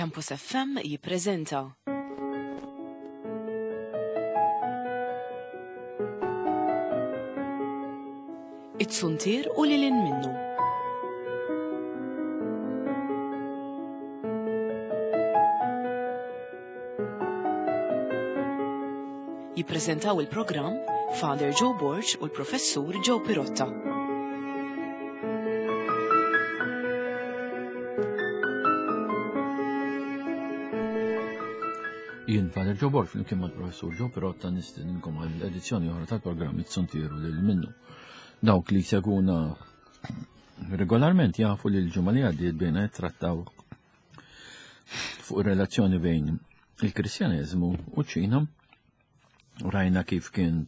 Campus FM jippreżenta. It-Suntier u lil hinn minnu. Jippreżentaw il-programm Father Joe Borg u l-Professur Joe Pirotta. Jien Father Joe Borg flimkien mal-Professur Joe Pirotta nistedinkom għal edizzjoni oħra tal-programm It-Suntier u lil minnu. Dawk li seguna regolarment jafu li l-ġimgħa li għaddiet bejna jittrattaw fuq ir-relazzjoni bejn il-Kristjaneżmu u ċ-Ċina. Rajna kif kien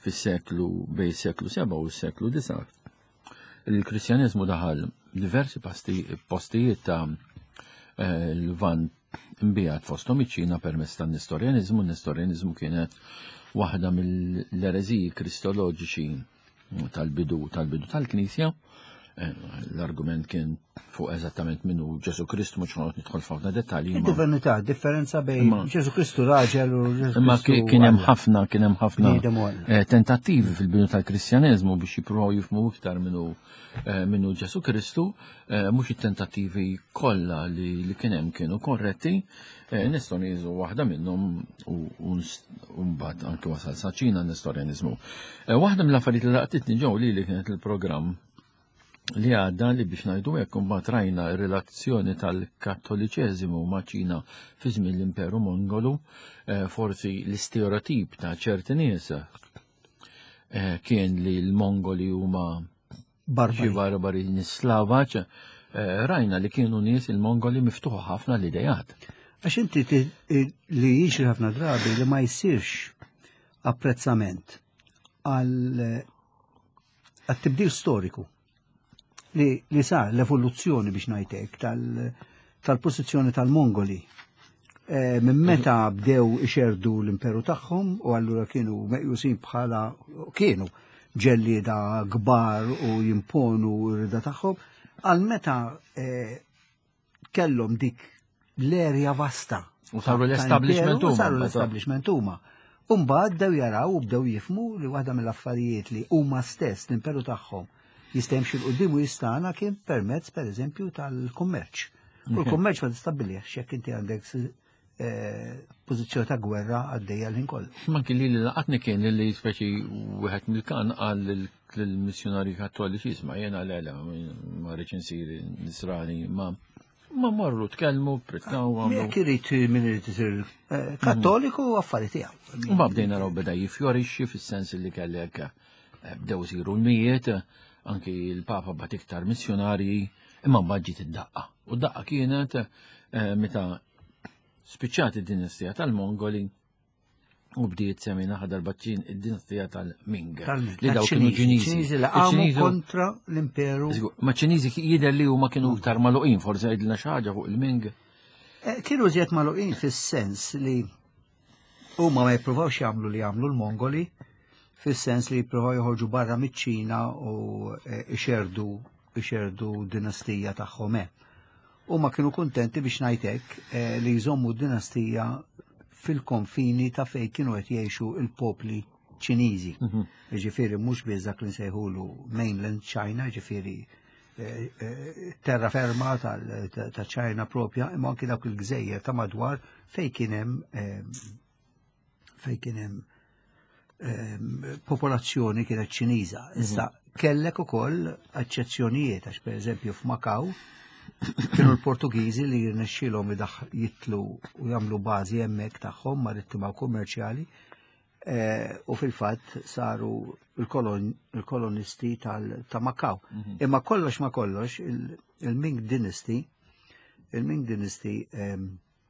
fis-seklu bejn seklu 7 u s-seklu 9. Il-Kristjaneżmu daħal diversi postijiet ta' eh, l-Lvant imbijat fosthom iċ-Ċina permezz tan-Nestorjaniżmu. Nestorjaniżmu kienet waħda mill-ereżiji kristoloġiċi tal-bidu tal-bidu tal-Knisja. Eh, l-argument kien fuq eżattament minnu Ġesu Kristu, mhux ħanqod nidħol f'ħafna dettalji. Divinità, differenza bejn Ġesu Kristu raġel u Ġesu Imma kien hemm ħafna, kien hemm ħafna eh, tentattivi fil-bidu tal-Kristjaneżmu biex jippruvaw jifhmu iktar minnu eh, minnu Ġesu Kristu, mhux it-tentattivi kollha li kien hemm kienu korretti, Eh, nistgħu nieżu waħda minnhom u mbagħad anke wasal sa ċina Nestorjaniżmu. Eh, waħda mill-affarijiet li laqtitni ġew li li kienet il-programm li għadda li biex ngħidu hekk imbagħad rajna r-relazzjoni tal-Kattoliċeżimu ma' Ċina fi żmien l-Imperu Mongolu, eh, forsi l-istereotip ta' ċerti nies kien li l-Mongoli huma Barbari. Xi barbari nislavaċ, eh, rajna li kienu nies il-Mongoli miftuħa ħafna l-idejat. Għax inti li jiġri ħafna drabi li ma jsirx apprezzament għal tibdil storiku li, li sar l-evoluzzjoni biex ngħidlek tal-pożizzjoni tal-Mongoli. Eh, minn meta bdew ixerdu l-imperu tagħhom u allura kienu meqjusin bħala kienu ġellieda kbar u jimponu r-rida tagħhom, għal meta eh, kellhom dik l-erja vasta. U saru l-establishment huma. Saru l-establishment huma. Umbagħad bdew jaraw u bdew jifmu li waħda mill-affarijiet li huma stess l-imperu tagħhom jista' jimxi 'l quddiem u jistana kien permezz pereżempju tal-kummerċ. U l-kummerċ ma tistabbilih jekk inti għandek eh, pożizzjoni ta' gwerra għaddejja l-ħin kollu. Ma kien li laqatni kien li speċi wieħed mill-kan qal lill-missjonarji kattoliċi isma' jiena le le ma rridx insir nisrani ma ma marru tkellmu, pritkaw għamlu. Jekk irid min irid isir eh, kattoliku affari tiegħu. U ma bdejna raw beda jifjorixxi fis-sens li kellek eh, bdew isiru l-mijiet, anki l-Papa bat iktar missjonarji, imma mbagħad ġiet id-daqqa. U d-daqqa kienet eh, meta spiċċat id-dinastija tal-Mongoli u bdiet semina darba id-dinastija tal-Ming. Li daw kienu Ċiniżi. Ċiniżi li qamu kontra l-imperu. Ma Ċiniżi jidher li huma kienu iktar magħluqin, forsi għidilna xi ħaġa fuq il-Ming. Eh, kienu żjed magħluqin fis-sens li Huma ma jippruvawx jagħmlu li jagħmlu l-Mongoli fis-sens li jippruvaw joħorġu barra miċ-Ċina u e, ixerdu ixerdu dinastija tagħhom hemm. Huma kienu kuntenti biex ngħid hekk e, li jżommu dinastija fil-konfini ta' fejn kienu qed jgħixu il-popli Ċiniżi. Mhm. Ġifieri mhux biss dak li nsejħulu mainland China, ġifieri e, terra ferma ta' ċajna propja, imma anki dawk il-gżejjer ta' madwar fej kien hemm fej kien hemm popolazzjoni kienet Ċiniża. Mhm. Issa kellek ukoll eċċezzjonijiet għax pereżempju f'Makaw kienu l-Portugiżi li jirnexxielhom jitlu u jagħmlu bażi hemmhekk tagħhom marittima u kummerċjali eh, u fil-fatt saru il-kolonisti ta' Makaw. Mhm. Imma kollox ma kollox il-Ming Dynasty il-Ming Dynasty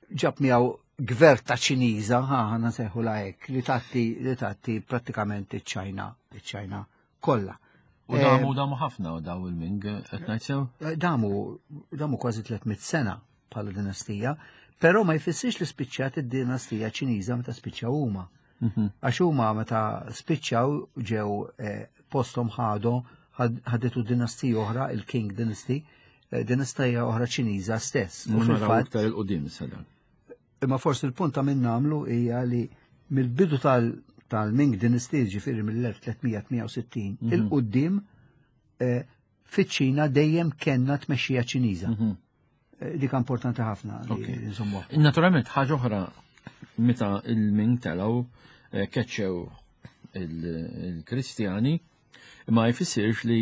ġab miegħu gverta Ċiniża, ħa ħana seħu la hekk, li tatti li tatti prattikament iċ-Ċajna, iċ-Ċajna kollha. U damu eh, damu ħafna u daw il-Ming qed ngħid sew? Eh, damu damu kważi 300 sena bħala dinastija, però ma jfissirx li spiċċat id-dinastija Ċiniża meta spiċċaw huma. Mhm. Għax huma meta spiċċaw ġew eh, posthom ħadu ħaditu dinastija oħra, il-King Dynasty, eh, dinastija oħra Ċiniża stess. U fil-fatt iktar il-qudiem issa Imma forsi l-punt ta' min nagħmlu hija li mill-bidu tal-Ming Dynasty, ġifieri mill-1368, il-qudiem eh, fiċ-Ċina dejjem kellna tmexxija Ċiniża. Eh, dik importanti ħafna li nżommu. Naturalment ħaġa oħra meta il-Ming telgħu keċċew il-Kristjani ma jfissirx li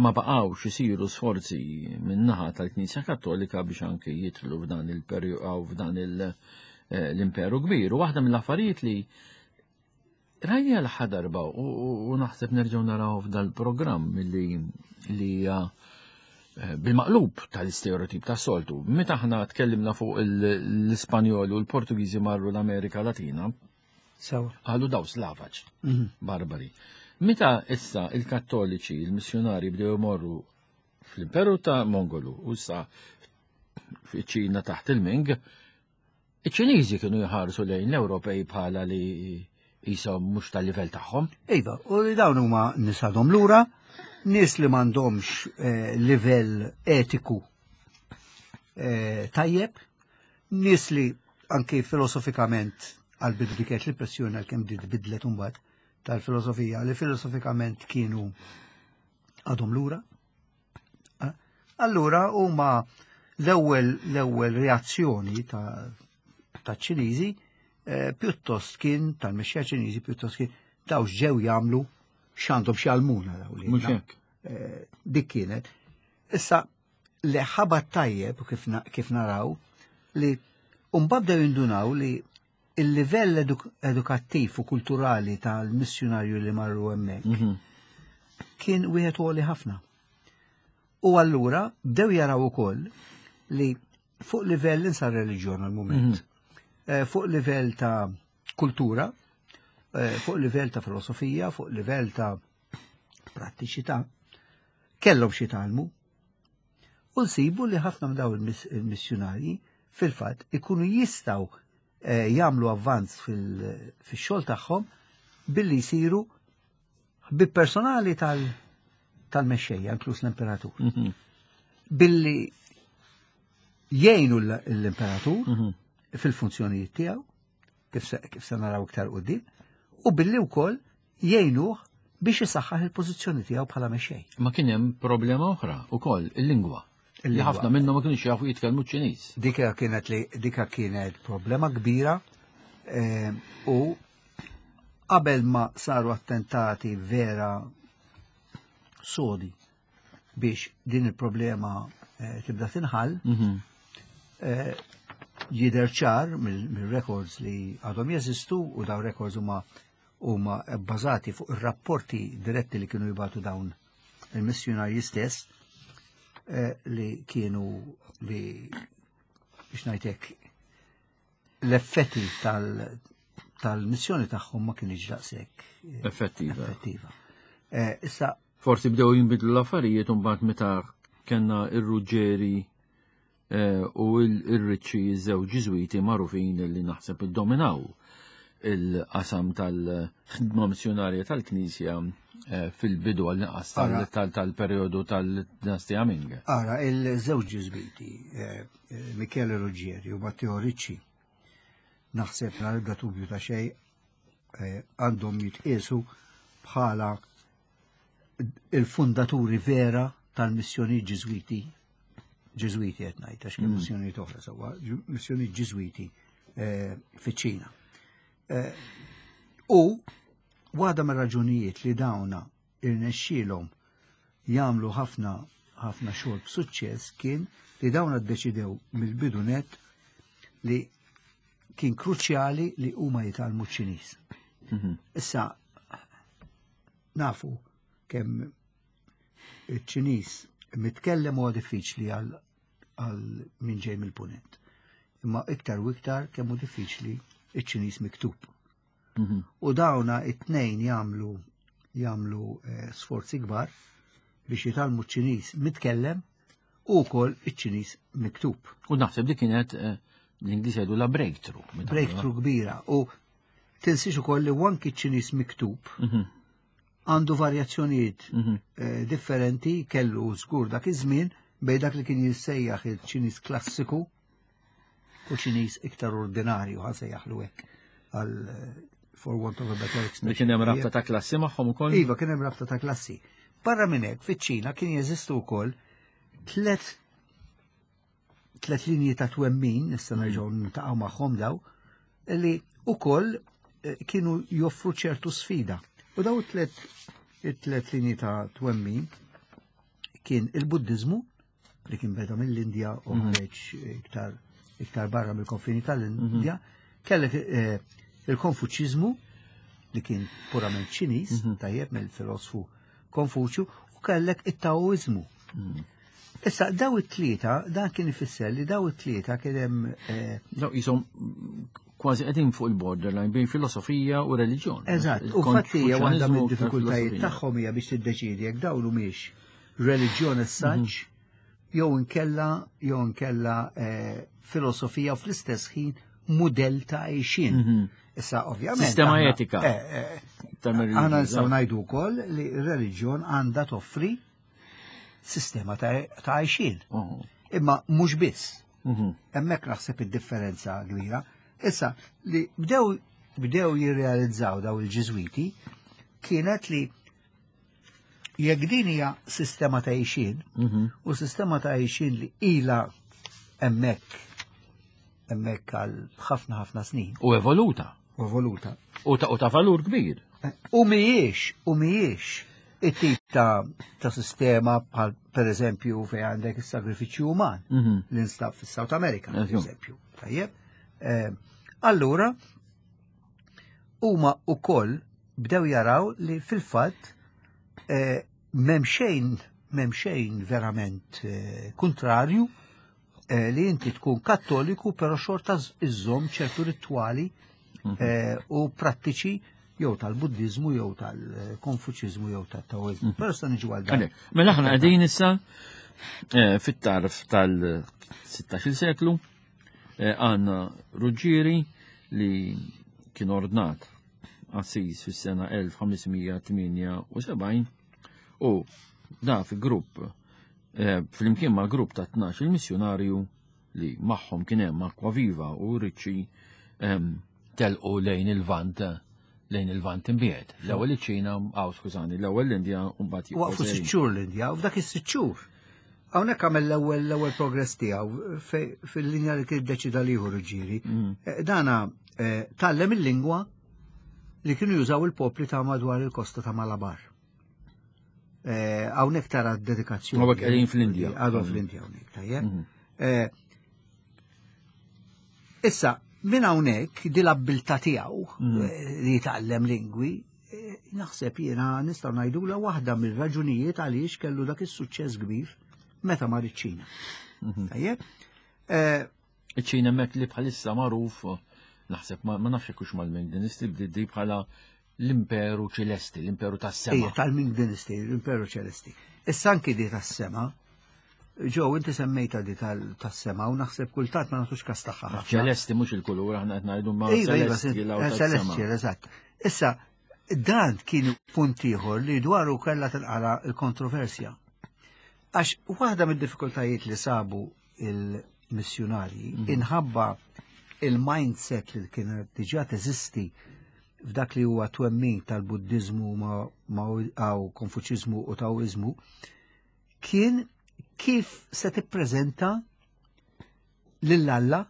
ma baqgħux isiru sforzi min-naħa tal-Knisja Kattolika biex anke jidħlu f'dan il-perjodu f'dan eh, l-imperu kbir. U waħda mill-affarijiet li rajni għal darba u naħseb nerġgħu naraw f'dal-programm li li hija eh, bil-maqlub tal-istereotip ta' soltu. Meta aħna tkellimna fuq l-Ispanjol u l-Portugiżi marru l-Amerika Latina, Sewa. Qalu daw slavaġ, mhm. barbari. Meta issa il-Kattoliċi, il-missjonari bdew imorru fl-Imperu ta' Mongolu u issa fiċ-Ċina taħt il-Ming, iċ-Ċiniżi kienu jħarsu lejn l-Ewropej bħala li jisom mhux tal-livell tagħhom. Iva, u li dawn huma nies għadhom lura, nies li m'għandhomx eh, livell etiku eh, tajjeb, Nies li anki filosofikament għal-bidu dik kienet l-impressjoni għalkemm di tbidlet imbagħad tal-filosofija li filosofikament kienu għadhom lura. Eh, allura huma l-ewwel l-ewwel reazzjoni ta' ċiniżi eh, pjuttost kien tal-mexxija ċiniżi pjuttost kien daw ġew jagħmlu x'għandhom x'jgħallmuna daw li. Mhux hekk. Eh, dik kienet. Issa li ħabat tajjeb kif, kif naraw li mbagħad bdew jindunaw li il-livell edukattiv u kulturali tal-missjunarju li marru hemmhekk mm -hmm. kien wieħed għoli ħafna. U allura bdew jaraw ukoll li fuq livell insa reliġjon għal mument mm -hmm. fuq livell ta' kultura, eh, fuq livell ta' filosofija, fuq livell ta' prattiċità, kellhom xi jitgħallmu. U nsibu li ħafna minn dawn il-missjunarji fil-fatt ikunu jistgħu eh, jagħmlu avvanz fil-xogħol tagħhom billi jsiru ħbib personali tal-mexxejja, inkluż l-imperatur. Mhm. Billi jgħinu l-imperatur mhm. fil-funzjonijiet tiegħu, kif se naraw iktar qudiem, u billi wkoll jgħinuh biex isaħħaħ il-pożizzjoni tiegħu bħala mexxej. Ma kien hemm problema oħra ukoll, il-lingwa. Li ħafna minnhom ma kienux jafu jitkellmu ċ-Ċiniż. Dika kienet li dika kienet problema kbira eh, u qabel ma saru attentati vera sodi biex din il-problema eh, tibda tinħall, mhm. eh, jidher ċar mill-records li għadhom jeżistu u dawn records huma huma bbażati fuq ir-rapporti diretti li kienu jibatu dawn il-missjunarji stess eh, li kienu li biex ngħidlek l-effetti tal-missjoni tagħhom ma kienx daqshekk eh, effettiva. effettiva. Eh, issa forsi bdew jinbidlu l-affarijiet u mbagħad meta kellna ir-Ruġġeri Eh, u il-Ricci żewġ Ġiżwiti magħrufin li naħseb iddominaw il-qasam tal-ħidma missjonarja tal-Knisja eh, fil-bidu għall-inqas tal-perjodu tal-dinastija Ming. Ara, il-żewġ Ġiżwiti, eh, Michele Ruggieri u Matteo Ricci, naħseb la ebda dubju ta' xejn għandhom jitqiesu bħala il-fundaturi vera tal-missjoni Ġiżwiti, Ġiżwiti qed ngħid għax kien mm. missjonijiet oħra sewwa, missjoni Ġiżwiti eh, fiċ-Ċina. Eh, u waħda mir-raġunijiet li dawna irnexxielhom jagħmlu ħafna ħafna xogħol b'suċċess kien li dawna ddeċidew mill-bidu net li kien kruċjali li huma jitgħallmu ċ-Ċiniż. Mhm. Issa Nafu kemm iċ-Ċiniż mitkellem huwa diffiċli għal għal min ġej mill-punent. Imma iktar u iktar kemm hu diffiċli iċ-Ċiniż miktub. Mhm. U dawna it-tnejn jagħmlu jagħmlu eh, sforzi kbar biex jitgħallmu ċ-Ċiniż mitkellem u wkoll iċ-Ċiniż miktub. U naħseb li kienet eh, l-Ingliż jgħidu la breakthrough. Breakthrough kbira. U Tinsiex ukoll li anki ċ-Ċiniż miktub mhm. għandu varjazzjonijiet mhm. eh, differenti kellu żgur dak iż-żmien. bejn dak li kien jissejjaħ il-Ċiniż klassiku u Ċiniż iktar ordinarju ħa sejjaħlu hekk għal for want of a better expression. Li kien hemm rabta ta' klassi magħhom ukoll? Iva, kien hemm rabta ta' klassi. Barra minn hekk, fiċ-Ċina kien jeżistu wkoll tlet tlet linji ta' twemmin, nista' nerġgħu niltaqgħu magħhom daw, li ukoll eh, kienu joffru ċertu sfida. U daw tlet it-tlet linji ta' twemmin kien il-Buddiżmu li kien beda mill-Indja u mhm. ħareġ iktar iktar barra mill-konfini tal-Indja, mhm. kellek eh, il-Konfuċiżmu li kien purament Ċiniż, mhm. tajjeb mill-filosfu Konfuċju, u kellek it-Taoiżmu. Issa, daw it-tlieta, dan kien ifisser li daw it-tlieta kien hemm. Eh, daw jisom kważi qegħdin fuq il-borderline bejn filosofija u reliġjon. Eżatt, u fatti hija waħda mid-diffikultajiet tagħhom hija biex tiddeċiedi jekk dawn humiex reliġjon as such mhm. jew inkella jew inkella eh, filosofija u fl-istess ħin mudell ta' għejxien. Mhm. Issa ovvjament. Sistema etika. Eh, aħna nistgħu ngħidu wkoll li r-reliġjon għandha toffri sistema ta' għajxin. Imma mhux biss. Mhm. Hemmhekk naħseb id-differenza kbira. Issa li bdew bdew jirrealizzaw daw il-Ġiżwiti kienet li jekk din hija sistema ta' għixin mhm. u sistema ta' għixin li ila hemmhekk hemmhekk għal ħafna ħafna snin. U evoluta. U evoluta. U ta', u ta valur kbir. U mhijiex, u mhijiex it-tip ta', ta sistema bħal per eżempju fejn għandek is-sagrifiċċju uman mm -hmm. li nstab fis-South America, per eżempju. Tajjeb. Eh, allura, huma ukoll bdew jaraw li fil-fatt eh, m'hemm xejn m'hemm xejn verament eh, kontrarju Eh, li inti tkun kattoliku però xorta iżżomm ċertu ritwali mhm. eh, u prattiċi jew tal-Buddizmu jew tal-Konfuċiżmu jew tat-Taoiżmu. Mhm. Però sta niġu għal dan. Mela aħna qegħdin issa eh, fit-tarf tal-16 seklu għandna Ruġġieri li kien ordnat assis fis-sena 1578 u da fi grupp Eh, flimkien ma' grupp ta' 12 il-missjunarju li magħhom kien hemm Aquaviva u Ricci ehm, telqu lejn il-Vant lejn il-Vant imbiegħed. L-ewwel iċ-Ċina, aw skużani, l-ewwel l-Indja u mbagħad Waqfu sitt xhur l-Indja u f'dak is-sitt xhur. Hawnhekk għamel l-ewwel l-ewwel progress tiegħu fil-linja li kien deċida li jieħu Ruġġieri. Mm. Eh, dana eh, tgħallem il-lingwa li kienu jużaw il-popli ta' madwar il-kosta ta' Malabar. Eh, hawnhekk tara d-dedikazzjoni. Hawnhekk qegħdin fl-Indja. Għadhom fl-Indja hawnhekk, tajjeb. Mhm. Eh, issa, minn hawnhekk di l-abbiltà tiegħu mhm. eh, li jitgħallem lingwi, naħseb jiena nistgħu ngħidula waħda mill-raġunijiet għaliex kellu dak is-suċċess kbir meta mar iċ-Ċina. Mhm. Tajjeb? Iċ-Ċina hemmhekk li bħalissa magħruf naħseb ma nafx hekk hux mal-Ming Dynasty bdiet bħala l-Imperu Ċelesti, l-Imperu tas-Sema. Ejja, tal-Ming Dynasty, l-Imperu Ċelesti. Issa anki di tas-sema, ġew inti semmejta di tas-sema u naħseb kultant ma nagħtux kas tagħha. Ċelesti mhux il-kulur aħna qed ngħidu ma iva, iva, Ċelesti, eżatt. Issa, dan kien punt ieħor li dwaru kellha tinqala l-kontroversja. Għax waħda mid-diffikultajiet li sabu il-missjunarji mhm. inħabba il-mindset li kienet diġà teżisti f'dak li huwa twemmin tal-Buddiżmu ma' Konfuċiżmu u Taoiżmu kien kif se tippreżenta lil Alla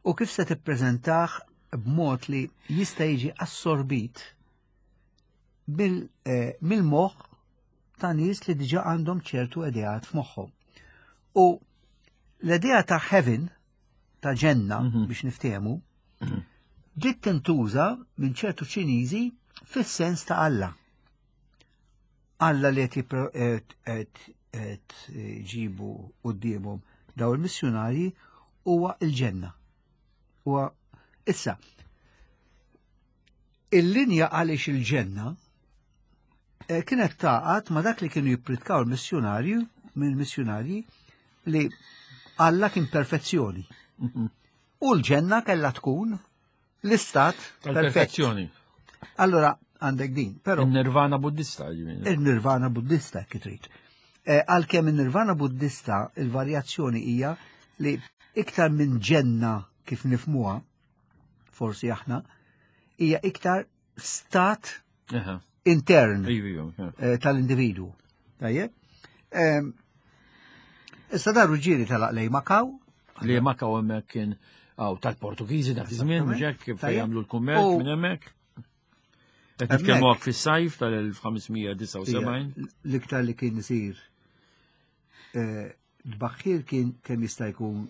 u kif se tippreżentah b'mod li jista' jiġi assorbit eh, mill-moħħ ta' nies li diġà għandhom ċertu ideat f'moħħhom. U l-idea ta' heaven, ta' ġenna mhm. biex niftehmu, mhm. ġiet tintuża minn ċertu Ċiniżi fis-sens ta' Alla. Alla li qed ġibu qudiemhom daw il-missjunarji huwa l-ġenna. Huwa issa il-linja għaliex il-ġenna eh, kienet taqat ma dak li kienu jippritkaw il-missjunarju minn missjunarji li Alla kien perfezzjoni. Mhm. U l-ġenna kellha tkun l-istat tal-perfezzjoni. Allora għandek din, però. Il-nirvana buddista. Il-nirvana buddista kif trid. Għalkemm in-nirvana Buddista il-varjazzjoni hija li iktar minn ġenna kif nifmuha, forsi aħna, hija iktar stat intern eh, tal-individu. Tajjeb? Ehm, issa dar ġiri tal lej Makaw. Li Makaw hemmhekk kien għaw tal-Portugiżi dak iż-żmien, mhux hekk kif jagħmlu l-kummerċ minn hemmhekk. Qed nitkellmu fis-sajf tal-1579. L-iktar li kien isir eh, Tbaħħir kien kemm jista' jkun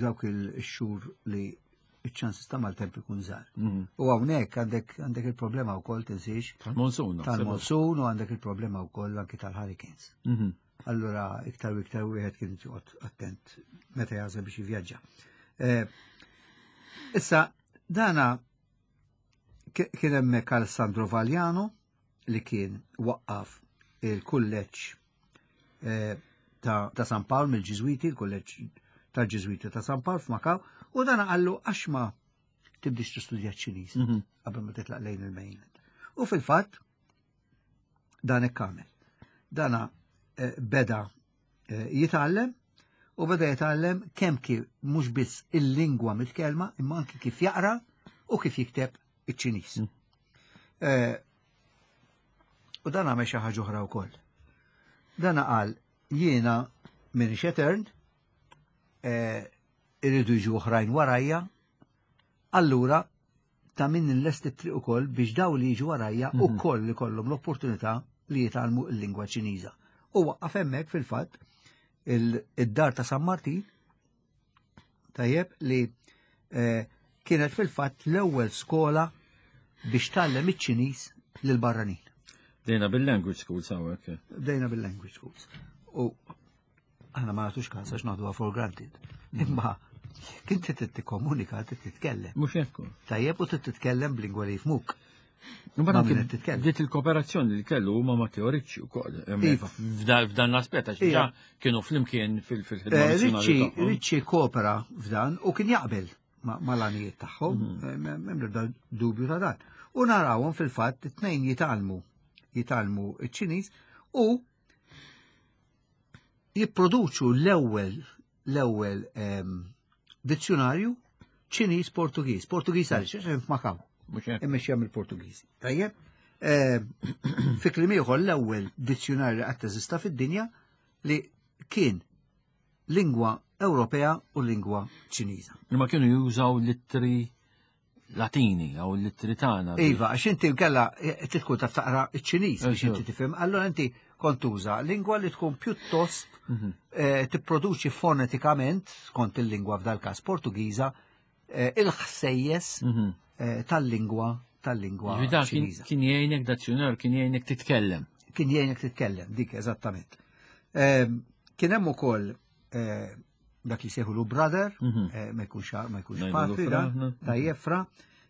dawk il-xhur li iċ-ċansis ta' maltemp ikun żgħar. Mhm. U hawnhekk għandek għandek il-problema wkoll tinsiex. Tal-monsun. Tal-monsun u għandek il-problema wkoll anki tal-hurricanes. Mhm. Allura iktar u iktar wieħed kien joqgħod attent meta jażel biex jivvjaġġa. Eh, issa dana kien hemmhekk Alessandro Vagliano li kien waqqaf il-kulleġġ eh, ta', ta San Pawl mill-Ġiżwiti, il-kulleġġ tal-Ġiżwiti ta' San Pawl f'Makaw, u dan qallu għax ma tibdix tistudja ċ-Ċiniż mhm. qabel ma titlaq lejn il-mainland. U fil-fatt dan hekk għamel. Dana eh, beda eh, jitgħallem u beda jitgħallem kemm kif mhux biss il-lingwa mitkellma imma anki kif jaqra u kif jikteb iċ-Ċiniż. Mm. Eh, u dan għamel xi ħaġa oħra wkoll. Dan qal jiena minn etern, eh, irridu jiġu oħrajn warajja, allura ta' min nlesti t-triq ukoll biex daw li jiġu warajja mhm. ukoll li kollhom l-opportunità li jitgħallmu l-lingwa Ċiniża. U waqqaf hemmhekk fil-fatt id-dar ta' San Martin tajjeb li eh, kienet fil-fatt l-ewwel skola biex tgħallem iċ-Ċiniż lil barranin. Dejna bil-language schools hawnhekk. Dejna bil-language schools. U aħna ma nagħtux każ għax naħduha for granted. Imma kien trid tikkomunika, trid titkellem. Mhux hekk. Tajjeb u trid titkellem b'lingwa li jifmuk. Dit il-kooperazzjoni li kellu huma ma teoriċi wkoll. Iva. F'dan l-aspett għax diġà kienu flimkien fil-ħidma. Eh, Ricci Ricci kopera f'dan u kien jaqbel mal-għanijiet tagħhom, mhm. eh, m'hemm l-ebda dubju ta' dan. U narawhom fil-fatt it-tnejn jitgħallmu jitgħallmu iċ-Ċiniż u jipproduċu l-ewwel l-ewwel ehm, dizzjonarju Ċiniż Portugiż. Portugiż għaliex għax hemm f'Makaw. Immexxija mill-Portugiżi. Tajjeb? Ehm, fi kliem ieħor l-ewwel dizzjonarju li qatt teżista fid-dinja li kien lingwa Ewropea u lingwa Ċiniża. Imma kienu jużaw littri Latini jew l-ittri tagħna. Iva, għax inti nkella eh, tkun taf taqra ċ-Ċiniż biex inti tifhem, allura inti kont tuża lingwa li tkun pjuttost mhm. eh, tipproduċi fonetikament skont il-lingwa f'dal każ Portugiża eh, il-ħsejjes mhm. tal-lingwa tal-lingwa Ċiniża. Kien jgħinek dazzjonar, kien jgħinek titkellem. Kien jgħinek titkellem, dik eżattament. Ehm, kien hemm ukoll dak li seħu brother, mhm. eh, ma jkunx ma jkunx patri da, ta' jefra,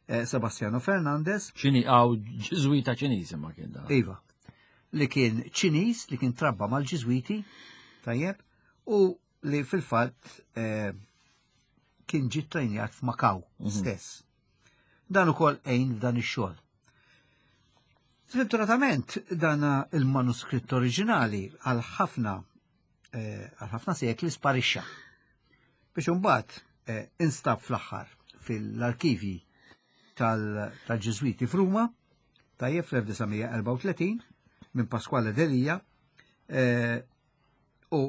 eh, Sebastiano Fernandez. ċini għaw ġiżwita ċiniż ma kien da. Iva, li kien ċiniż li kien trabba mal-ġiżwiti, tajjeb, u li fil-fatt eh, kien ġi trejnjat f'Makaw mhm. stess. Dan ukoll għejn f'dan ix-xogħol. Sfortunatament dan il-manuskritt oriġinali għal ħafna Eh, għal ħafna sekli sparixxa. Biex imbagħad eh, instab fl-aħħar fil-arkivi tal-Ġiżwiti f'Ruma, tajjeb fl-1934 minn Pasquale Delia eh, u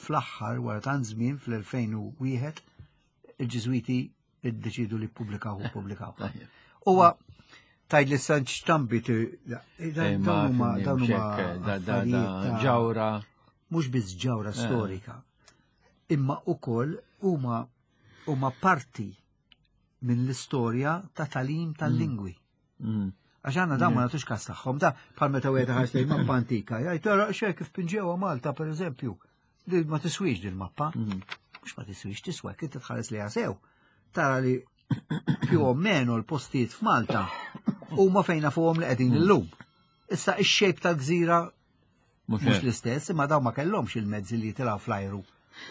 fl-aħħar wara tant żmien fl-2001 il-Ġiżwiti iddeċidu li ppubblikaw u ppubblikaw. Huwa tajd li san ċtambi dawn huma dawn huma ġawra. Mhux biss ġawra eh. storika, imma ukoll huma huma parti minn l-istorja ta' talim tal-lingwi. Mm. Mm. Għax għanna dawn ma mm. nagħtux kas tagħhom, da bħal meta wieħed ħares lejn mappa antika, jgħid tara xejn kif pinġewha Malta pereżempju. Din ma tiswix din mappa. Mm. Mhux ma tiswix tiswa, kif titħares li sew. Tara li più o meno l-postijiet f'Malta huma fejn nafuhom li qegħdin mm. illum. Issa ix-xejp tal-gżira mhux l-istess, imma dawn ma kellhomx il-mezzi li jitilgħu fl-ajru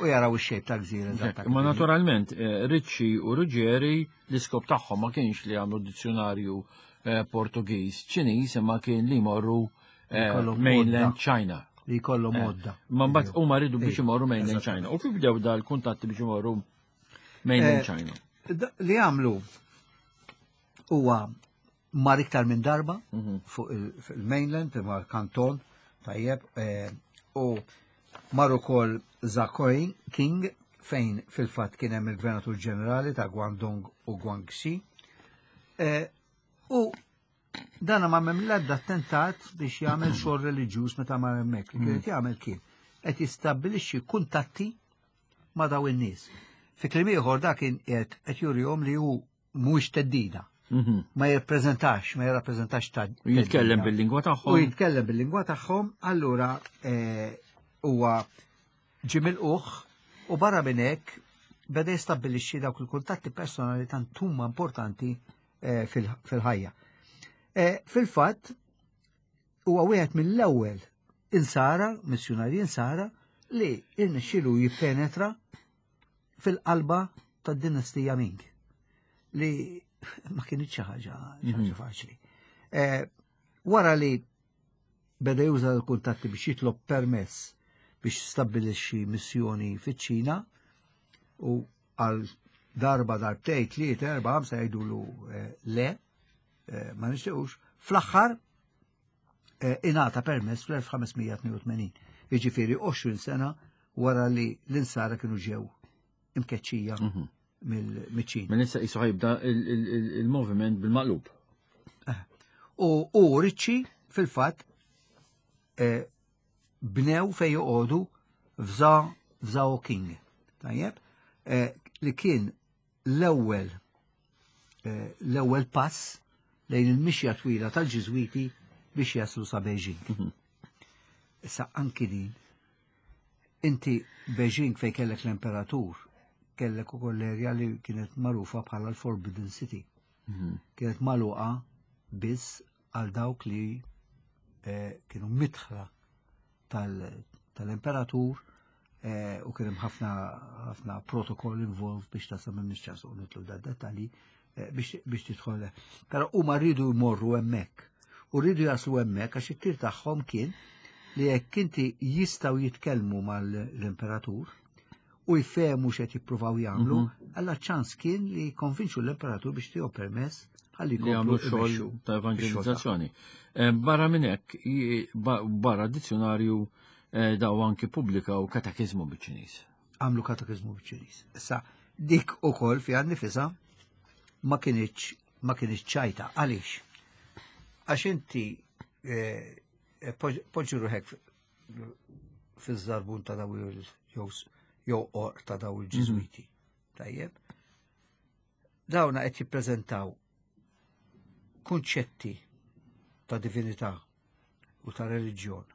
u jaraw ix-xejp tal-gżira eżatta. Imma naturalment, eh, Ricci u Ruggeri l-iskop tagħhom ma kienx li għamlu dizzjonarju eh, Portugiż Ċiniż imma kien li jmorru Mainland China. Li jkollhom għodda. Ma mbagħad huma rridu biex imorru mainland China. U kif bdew dal-kuntatti biex imorru mainland China? Li għamlu huwa mar iktar minn darba fuq il-mainland, mar Kanton, tajjeb, u mar ukoll Zakoin King fejn fil-fatt kien hemm il-Gvernatur Ġenerali ta' Guangdong u Guangxi. U dana ma mem l-ebda attentat biex jagħmel xogħol reliġjuż meta mar hemmhekk. Li kien jagħmel kien qed jistabbilixxi kuntatti ma' daw in-nies. Fi kliem ieħor dak kien qed jurihom li hu mhuwiex teddida. Ma jirrappreżentax, ma jirrappreżentax ta' U jitkellem bil-lingwa tagħhom. U jitkellem bil-lingwa tagħhom, allura huwa ġie milquh u barra minn hekk beda jistabbilixxi dawk il-kuntatti personali tant huma importanti fil-ħajja. Fil-fatt huwa wieħed mill-ewwel insara, missjunarji insara, li irnexxielu jippenetra fil-qalba tad-dinastija Ming, li ma kienx xi ħaġa faċli. Wara li beda juża l-kuntatti biex jitlob permess biex stabbilixxi missjoni fiċ-Ċina, u għal darba, darbtej, tliet, erba', ħamsa jgħidulu le, ma nixtiequx, fl-aħħar ingħata permess fl-1582, jiġifieri 20 sena wara li l-insara kienu ġew imkeċċija mill-Ċina. Minn issa qisu ħajbda il-moviment bil-maqlub. U Ricci fil-fatt bnew fejn joqogħdu f'Zhao King. Tajjeb, li kien l-ewwel pass lejn il-mixja twila tal-Ġiżwiti biex jaslu sa Beijing. Issa anki din, inti Beijing fejn kellek l-imperatur, kellek ukoll l-erja li kienet magħrufa bħala l-Forbidden City. Kienet magħluqa biss għal dawk li kienu mitħla tal-imperatur u kien hemm ħafna protokoll involved biex tasal minn nixċasu nitlu da dettalji biex tidħol. Però huma rridu jmorru hemmhekk. U rridu jaslu hemmhekk għax it-tir tagħhom kien li jekk inti jistgħu jitkellmu mal-imperatur u jfehmu x'qed jippruvaw jagħmlu, alla ċans kien li jikkonvinċu l-imperatur biex tiegħu permess ħalli Li jagħmlu jkomplu xogħol jmexxu ta' evangelizzazzjoni. Barra minn hekk, barra dizzjonarju daw anki pubblikaw katekiżmu biċ-Ċiniż. Għamlu katekiżmu biċ-Ċiniż. Issa dik ukoll fiha nnifisha ma kienx ċajta. Għaliex? Għax inti poġġi ruħek fiż-żarbun ta' daw jew or ta' daw il-Ġiżwiti. Tajjeb. Dawna qed jippreżentaw kunċetti ta' divinità u ta' reliġjon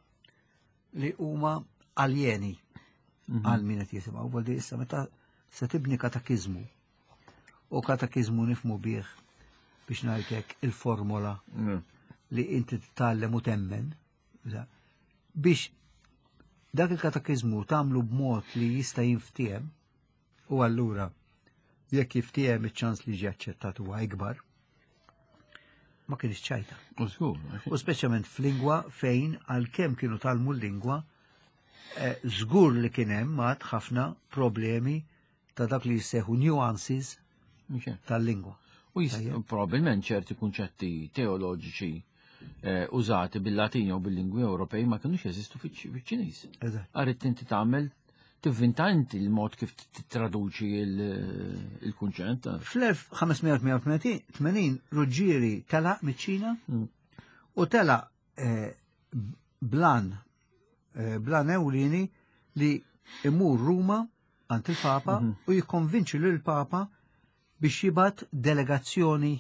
li huma aljeni għal min qed jisimgħu. Vuol dire issa meta se tibni katekiżmu, u katekiżmu nifhmu bih biex ngħidlek il-formola li inti titgħallem u temmen, biex dak il-katekiżmu tagħmlu b'mod li jista' jinftiehem, u allura jekk jiftiehem iċ-ċans li jiġi aċċettat huwa ikbar, ma kienx ċajta. U żgur, għax U speċjalment f'lingwa fejn għalkemm kienu talmu l-lingwa, żgur li kien hemm għad ħafna problemi ta' dak li jissejħu nuances tal-lingwa. U probabbilment ċerti kunċetti teoloġiċi użati bil-Latin jew bil-lingwi Ewropej ma kinux jeżistu fiċ-Ċiniż. Għarid inti tagħmel tivvinta inti l-mod kif tittraduċi il-kunċett. Fl-1588 Ruggieri telaq miċ-Ċina u telaq blan ewlieni li imur Ruma għand il-Papa u jikkonvinċi lil Papa biex jibgħat delegazzjoni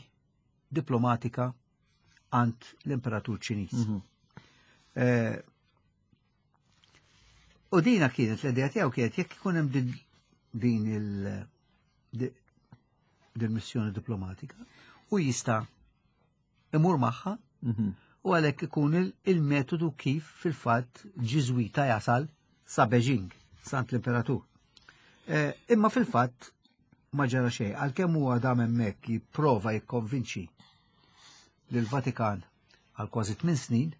diplomatika għand l-Imperatur Ċiniż. U dina kienet l-idea tiegħu kienet jekk ikun hemm din il-missjoni diplomatika u jista' imur magħha u għalhekk ikun il-metodu kif fil-fatt Ġiżwita jasal sa Beijing, sant l-Imperatur. Imma fil-fatt ma ġara xejn, għalkemm huwa dam hemmhekk jipprova jikkonvinċi lill-Vatikan għal kważi 8 snin,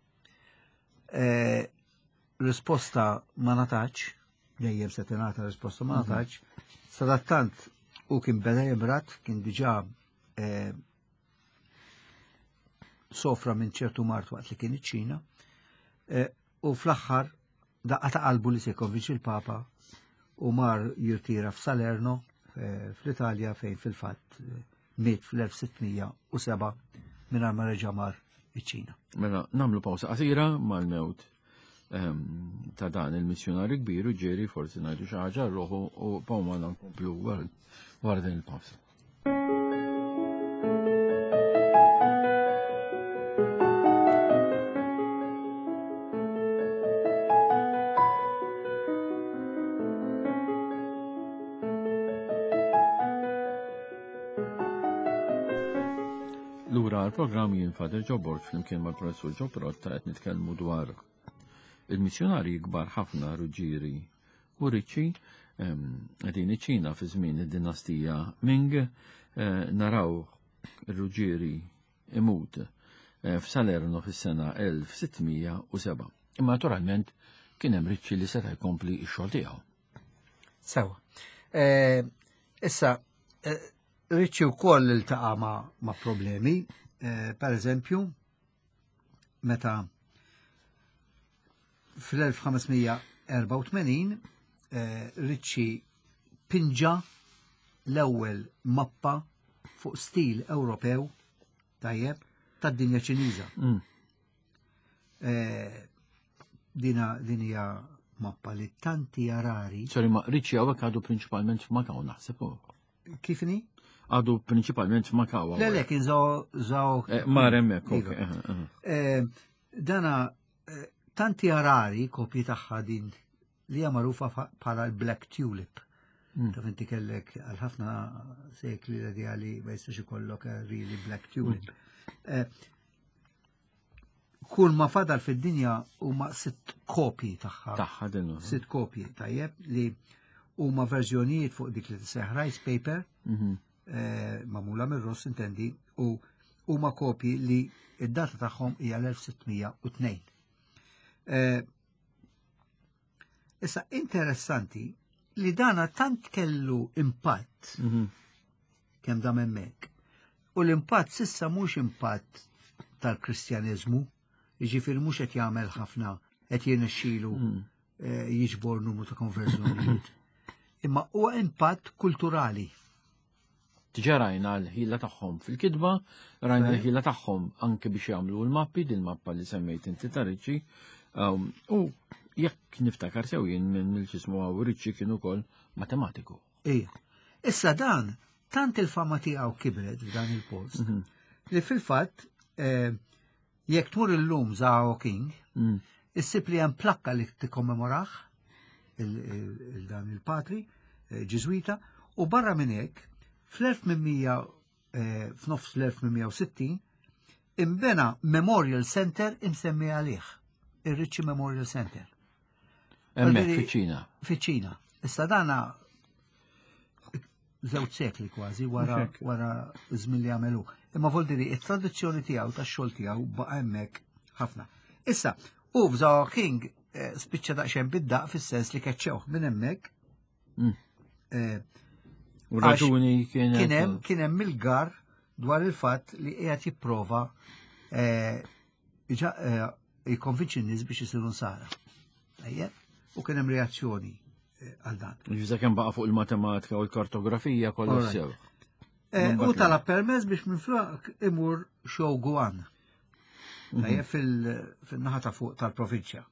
Eh, risposta ma natax, dejjem se tingħata risposta ma mhm. natax, sadattant u kien beda jimrat, kien diġà eh, sofra minn ċertu mart waqt li kien iċ-Ċina, eh, u fl-aħħar daqqa ta' qalbu li se jkonvinċi l-Papa u mar jirtira f'Salerno eh, fl-Italja fejn fil-fatt eh, miet fl-1607 mingħajr ma reġa' mar iċ-Ċina. Mela nagħmlu pawsa qasira mal-mewt ehm, ta' dan il-missjonarju kbir u ġeri forsi ngħidu xi ħaġa ruħu u pawma nkomplu wara din il-pawsa. Lura għal-programm jien Fader Joe Borg flimkien mal-Professur Joe Protta qed nitkellmu dwar il-missjonarji kbar ħafna Ruġġieri u Ricci qegħdin iċ-Ċina fi żmien id-dinastija Ming eh, naraw ir-Ruġġieri imut eh, f'Salerno fis-sena 1607. Imma naturalment kien hemm Ricci li seta' jkompli x-xogħol tiegħu. Sewa. Eh, issa, Ricci wkoll iltaqa' ma' problemi, per eżempju, meta fl-1584 eh, Ricci pinġa l-ewwel mappa fuq stil Ewropew tajjeb tad-dinja Ċiniża. Mm. Eh, dina din hija mappa li tanti rari. Sorry, ma Ricci hawnhekk għadu prinċipalment f'Makaw naħseb. Kifni? Għadu prinċipalment f'Makaw. Le, le, kien zaw. Eh, mar hemmhekk, iva. eh, dana tanti rari kopji tagħha din li hija magħrufa bħala l-Black Tulip. Mm. Taf inti kellek għal ħafna sekli l-idea li ma jistax ikollok really Black Tulip. Mm. Kull ma fadal fid-dinja huma sitt kopji tagħha. Tagħha din. Sitt kopji tajjeb li huma verżjonijiet fuq dik li tiseħ rice paper mhm. eh, magħmula mir-Ross intendi u huma kopji li id-data tagħhom hija l-1602. Eh, issa interessanti li dana tant kellu impatt mhm. kemm dam hemmhekk. U l-impatt sissa mhux impatt tal-Kristjaniżmu, jiġifieri mhux qed jagħmel ħafna qed jirnexxilu mm. eh, jiġbor numru ta' konverżjonijiet. Imma huwa impatt kulturali. Diġà rajna l-ħila tagħhom fil-kitba, rajna l-ħila tagħhom anke biex jagħmlu l-mappi, din mappa li semmejt inti ta' Ricci. Um, u jekk niftakar sew jien minn il-ġismu għaw Ricci kien ukoll matematiku. Ija. Issa dan, tant il-fama tiegħu kibret f'dan il-post, mhm. li fil-fatt eh, jekk tmur illum Zhao King, mm. issib li hemm plakka li tikkommemorah il-dan il-patri eh, Ġiżwita u barra minn hekk fl-1800 eh, f'nofs l-1860 imbena Memorial Center imsemmi għalih, ir-Ricci Memorial Center. Hemmhekk fiċ-Ċina. Fiċ-Ċina. Issa dana żewġ sekli kważi wara wara żmien li għamelu. Imma vol diri it-tradizzjoni tiegħu tax-xogħol tiegħu baqa' hemmhekk ħafna. Issa, u f'Zao King eh, spiċċa daqsxejn bid-daq fis-sens li keċċewh minn hemmhekk. Mm. Eh, u raġuni kien hemm kien hemm il-gar dwar il-fatt li qiegħed jipprova eh, jikkonvinċi n-nies biex isiru nsara. Tajjeb, u kien hemm reazzjoni eh, għal dan. Ġiża kemm baqa' fuq il-matematika u l-kartografija kollha sew. Eh, u talab permess biex minflok imur Shouguan. Mhm. Tajjeb fil-naħa ta' fuq tal-provinċja.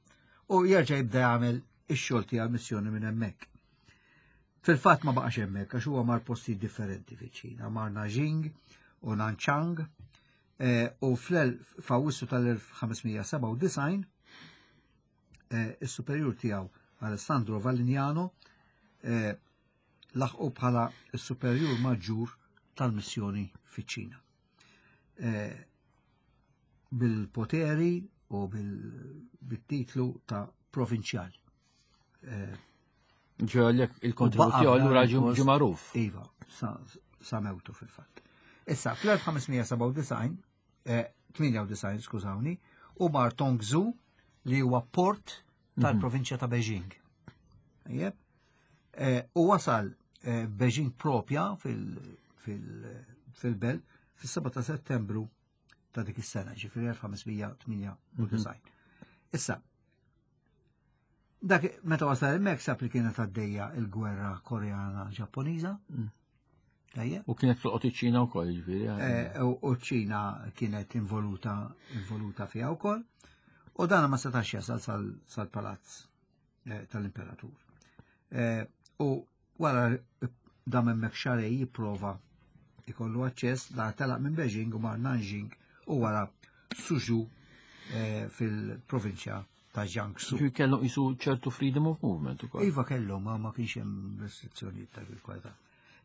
U jerġa' jibda jagħmel ix-xogħol tiegħu missjoni minn hemmhekk. Fil-fatt ma baqax hemmhekk għax huwa mar postijiet differenti fiċ-Ċina, mar Nanjing u Nanchang Eh, u fl-Awwissu tal-1597 eh, is-superjur tiegħu Alessandro Valignano eh, laħqu bħala s-superjur maġġur tal-missjoni fiċ-Ċina. Bil-poteri u bil-titlu ta' provinċjal. Ġo il-kontribut tiegħu allura ġie magħruf. Iva, sa mewtu fil-fatt. Issa, fl-1597, 98, eh, skużawni, u mar Tongzu li huwa port tal-provinċja ta' Beijing. Tajjeb? U wasal Beijing propja fil-belt fis-7 ta' Settembru ta' dik is-sena, ġifieri 1598. Issa, dak meta wasal hemmhekk sab li kienet għaddejja il-gwerra Koreana Ġappuniża. Tajjeb. U kienet tolqot iċ-Ċina wkoll, ġifieri. U ċ-Ċina kienet involuta fiha wkoll. U dan ma setax jasal sal-palazz tal-imperatur. U wara dam hemmhekk xarej jipprova ikollu aċċess, da telaq minn Beijing u mar Nanjing u wara Suzhou fil-provinċja ta' Jiangsu. Ġifieri kellhom qisu ċertu freedom of movement ukoll. Iva kellhom, ma kienx hemm restrizzjonijiet ta' kwalità.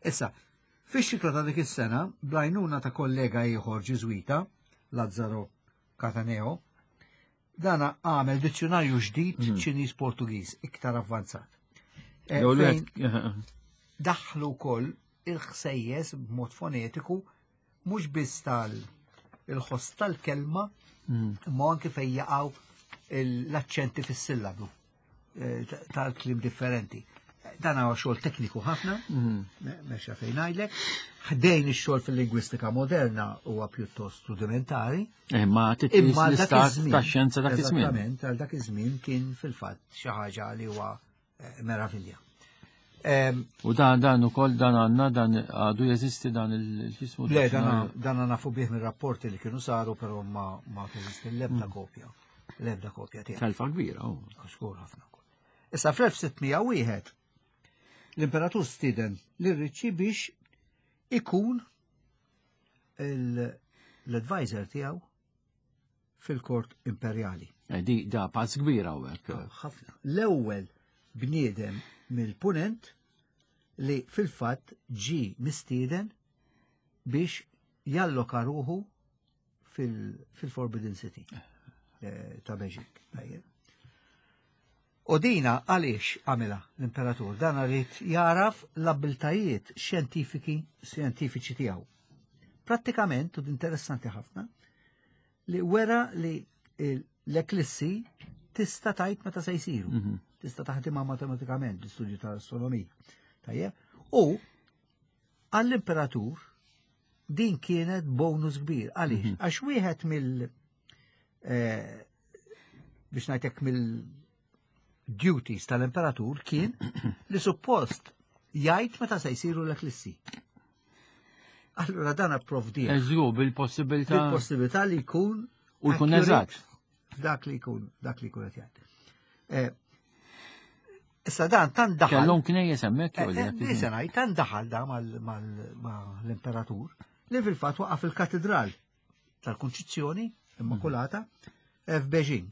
Issa, fix-xitwa ta' dik is-sena, bl-għajnuna ta' kollega ieħor Ġiżwita, Lazzaro Cataneo, dana għamel dizzjonarju ġdid Ċiniż Portugiż iktar avvanzat. Jew li Fejn qed- daħlu wkoll il-ħsejjes b'mod fonetiku mhux biss tal il-ħoss tal-kelma, imma anke fejn jaqgħu l-aċċenti fis-sillabu tal-kliem differenti. Dan huwa xogħol tekniku ħafna, mexa fejn ngħidlek. Ħdejn ix-xogħol fil-lingwistika moderna huwa pjuttost rudimentari. Ma titqis Imma dak l-istat iż-żmien, tax-xjenza dak iż-żmien. Eżattament, għal dak iż-żmien kien fil-fatt xi ħaġa li huwa meravilja. U dan ukoll dan għandna, dan għadu jeżisti dan il-ġismu Le, ta' xi dan nafu bih mir-rapporti li kienu saru, però ma teżisti l-ebda kopja. L-ebda kopja tiegħu. Telfa kbira, oh. Żgur ħafna wkoll. Issa fl-1601 l-imperatur stieden lil Ricci biex ikun l-advisor tiegħu fil-kort imperjali. Di da pass kbira hawnhekk. Ħafna. L-ewwel bniedem mill-punent li fil-fatt ġi mistieden biex jalloka ruħu fil-Forbidden City ta' Beijing. Tajjeb. U dina għaliex għamilha l-imperatur? Dan għalit jaraf l-abiltajiet xjentifiċi tiegħu. Prattikament, u interessanti ħafna, li wera li l-eklissi tista' tajt meta se jsiru. Tista' taħdimha matematikament l-istudju tal-astronomija. Tajjeb? U għall-imperatur din kienet bonus kbir. Għaliex? Għax wieħed mill biex ngħidlek mill-duties tal-imperatur kien li suppost jgħid meta se jsiru l-eklissi. Allura dan approvdi. Eżju, bil-possibilità. Bil-possibilità li jkun U jkun accurate eżatt. Dak li jkun, dak li jkun qed jgħid. Issa dan tan daħal. Kellhom knejjes hemmhekk jew li qed Nisa ngħid, tan daħal da mal-imperatur li fil-fatt waqaf il-katedral tal-Kunċizzjoni Immakulata f'Beijing.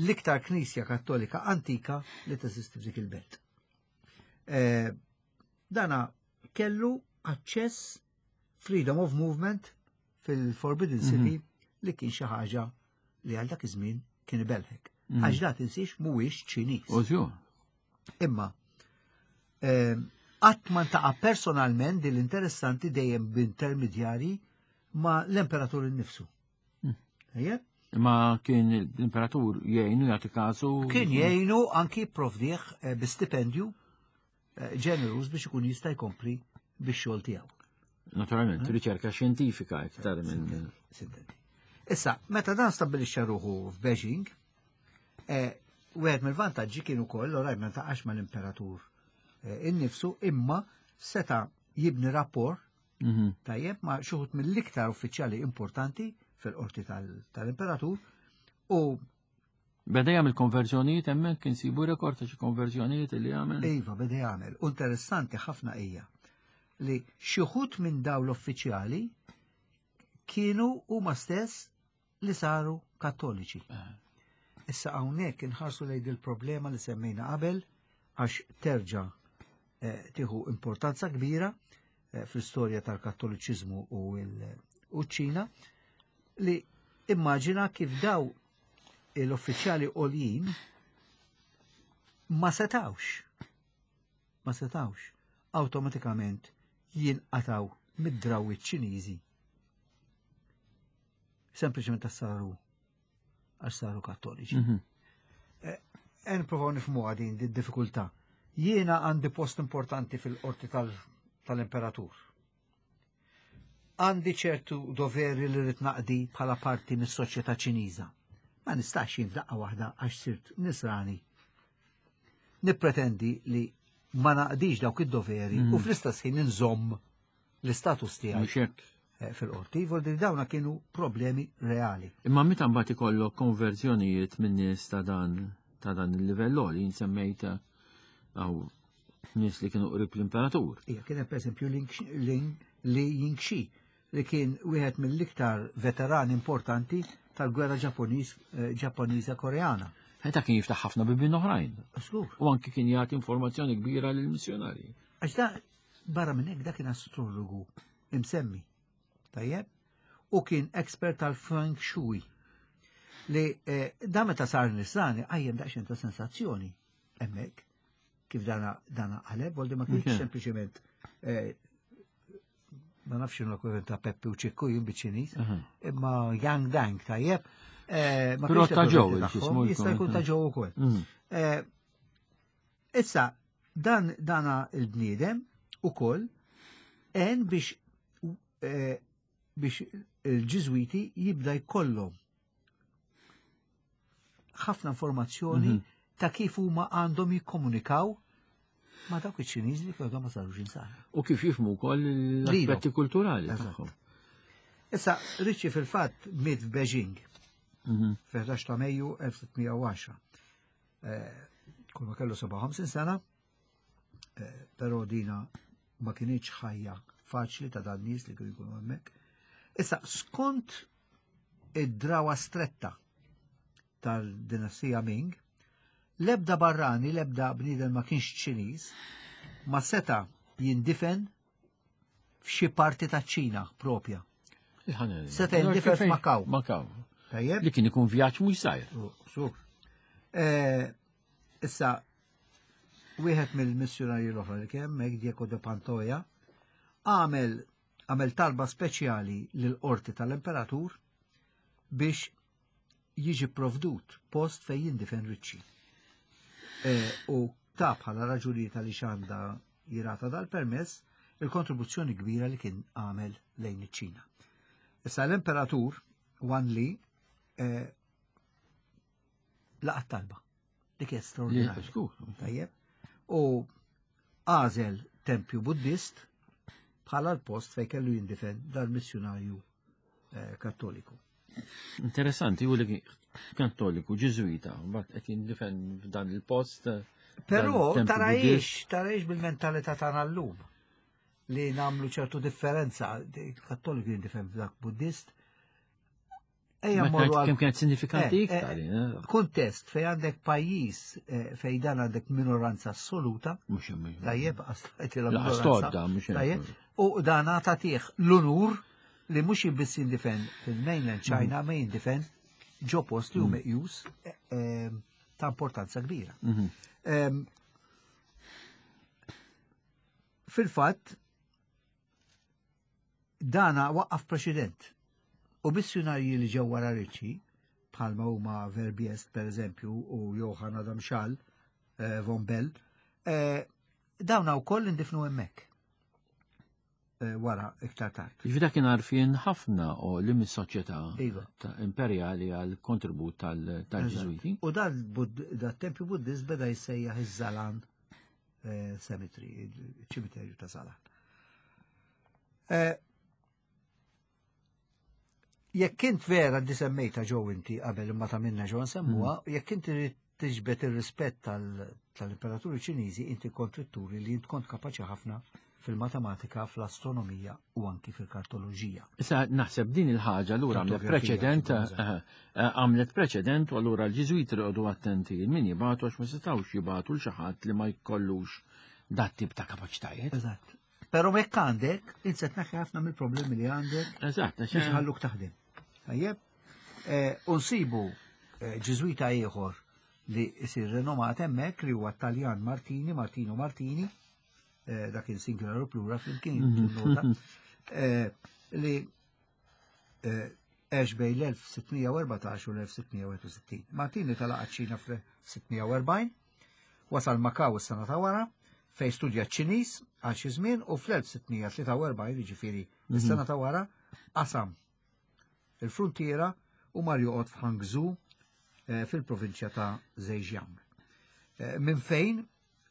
L-iktar knisja kattolika antika li teżisti f'dik il-belt. Dana kellu aċċess freedom of movement fil-Forbidden City li kien xi ħaġa li għal dak iż-żmien kien ibelħek. Għax da tinsiex mhuwiex Ċiniż. Ożju. Imma qatt ma ntaqa' personalment din l-interessanti dejjem b'intermedjari ma l-imperatur innifsu. Ejja? Ma kien l-imperatur jgħinu jagħti kasu? Kien jgħinu anki provdih bi stipendju ġenerus biex ikun jista' jkompli bix-xogħol tiegħu. Naturalment, riċerka xjentifika iktar minn Sintendi. Issa, meta dan stabbilixxa ruħu f'Beijing, wieħed mill-vantaġġi kien ukoll, oraj ma ntaqax mal-imperatur innifsu, imma seta' jibni rapport tajjeb ma' xi wħud mill-iktar uffiċjali importanti fil-qorti tal-imperatur u Beda jagħmel konverżjonijiet hemmhekk, kien sibu rekord ta' xi konverżjonijiet li jagħmel? Iva, beda jagħmel. U interessanti ħafna hija li xi wħud minn dawn l-uffiċjali kienu huma stess li saru kattoliċi. Issa hawnhekk inħarsu lejn il-problema li semmejna qabel għax terġa' tieħu importanza kbira fl-istorja tal-kattoliċiżmu u ċ-Ċina, li immaġina kif daw l-uffiċjali għoljin ma setawx awtomatikament jinqataw mid-drawiet Ċiniżi. Sempliċement għax saru kattoliċi. Nprovaw nifhmuha din id-diffikultà. Jiena għandi post importanti fil-qorti tal-imperatur. Għandi ċertu doveri li rrid naqdi bħala parti mis-soċjetà Ċiniża. Ma nistax jien f'daqqa waħda għax sirt nisrani. Nippretendi li ma naqdix dawk id-doveri u fl-istess ħin inżomm l-istatus tiegħi fil-qorti, voldi dawna kienu problemi reali. Imma meta mbagħad ikollok konverżjonijiet minn nies ta' dan ta' dan il-livell li nsemmejt għaw nies li kienu qrib l-imperatur. Ija, kien hemm pereżempju Li Yingxi li kien wieħed mill-iktar veterani importanti tal-gwerra Ġapponiża Koreana. Meta kien jiftaħ ħafna bibien oħrajn. Żgur. U anki kien jagħti informazzjoni kbira lill-missjonarji. Għax da barra minn hekk dak kien astrologu imsemmi. Tajjeb? U kien expert tal-Feng Shui. Li da meta sar nisrani qajjem daqsxejn ta' sensazzjoni hemmhekk kif dana dana qaleb, voldi ma kienx sempliċement ma nafx x'inhu l-equivalent ta' Peppi u Ċikku jien biċ-Ċiniż, imma Yang Dang tajjeb. Ma Però kienx ta' ġew, l-equivalent x'ismu tagħhom, jista' jkun ta' ġew ukoll. Issa, dan dana il-bniedem ukoll għen biex il-Ġiżwiti jibda jkollhom ħafna informazzjoni ta' kif huma għandhom jikkomunikaw ma' dawk iċ-Ċiniżi li kienu ma sarux insara. U kif jifhmu wkoll l-aspetti kulturali tagħhom. Issa, Ricci fil-fatt miet f'Beijing fil-11 ta' Mejju 1610. Kull ma kellu 57 sena, però dina ma kienx ħajja faċli ta' dan nies li kienu jkunu hemmhekk. Issa, skont id-drawa stretta tal-dinastija Ming, l-ebda barrani, l-ebda bniedem ma kienx Ċiniż, ma seta jindifen f'xi parti ta' ċina propja. Seta jindifen f'Makaw. Makaw. Tajjeb? Li kien ikun vjaġġ mhux żgħir. Sur. Issa, wieħed mill-missjonarji l-oħra li kien hemmhekk, Diego de Pantoja, għamel talba speċjali lill-qorti tal-imperatur biex jiġi provdut post fejn jindifen Ricci. U ta' bħala raġunijiet għaliex għandha jirata dal-permess il-kontribuzzjoni kbira li kien għamel lejn iċ-Ċina. Issa l-imperatur Wan Li laqat talba li kien straordinarju. Żgur. Tajjeb. U għażel tempju Buddist bħala l-post fejn kellu jindifen dal-missjunarju kattoliku. Interessanti, u li kattoliku, ġiżwita, mbagħad qed jindifen f'dan il-post. Però dan il-tempju Buddist. tarajx bil-mentalità tagħna llum li nagħmlu ċertu differenza, kattoliku jindifen f'dak Buddist. Ejja Ma mmorru kienet għal kemm kienet sinifikanti iktar, Kuntest fej għandek pajjiż fej dan għandek minoranza assoluta. Mhux hemm, mhux hemm. Tajjeb, għax la La minoranza. storda, mhux hemm. Tajjeb, u dan tagħtih l-unur li mhux biss jindifen fil-mainland China, ma jindifen ġo post li hu meqjus ta' importanza kbira. Fil-fatt, dana waqqaf preċedent. U missjonarji li ġew wara Ricci, bħalma huma Verbiest per eżempju u Johann Adam Schall von Bell, dawna wkoll indifnu hemmhekk wara iktar tard. Jiġifieri dak kien għarfien ħafna u li mis-soċjetà ta' imperjali għal kontribut tal-Ġiżwiti. U dat tempju Buddist beda jissejjaħ iż-Zalan Cemetery, il-ċimiterju ta' Zalan. Jekk int vera di semmejta ġew inti qabel imma ta' minna ġew nsemmuha, jekk inti trid tiġbed ir-rispett tal-imperaturi Ċiniżi, inti kont trid turi li int kont kapaċi ħafna fil-matematika, fl-astronomija u anki fil-kartoloġija. Issa naħseb din il-ħaġa allura għamlet Kartografija, preċedent, fil-bażi. għamlet preċedent u allura l-Ġiżwiti rqodu attenti min jibgħatu għax ma setgħux jibgħatu l xi ħadd li ma jkollux dat tip ta' kapaċitajiet. Eżatt. Però jekk għandek, int se tneħħi ħafna mill-problemi li għandek Eżatt, għax biex ħalluk taħdem. Tajjeb? U nsibu Ġiżwita ieħor li jsir renomat hemmhekk li huwa Taljan Martini, Martino Martini, dak il-singular u plural flimkien nota, li Għex bejn l-1614 u l-1661. Martini telaq għaċ-Ċina fl-1640, wasal Macau is-sena ta' wara, fejn studja ċ-Ċiniż għal xi żmien u fl-1643, jiġifieri mhm. is-sena ta' wara, qasam il-fruntiera u mar joqgħod f'Hangzhou eh, fil-provinċja ta' Zhejiang. Eh, minn fejn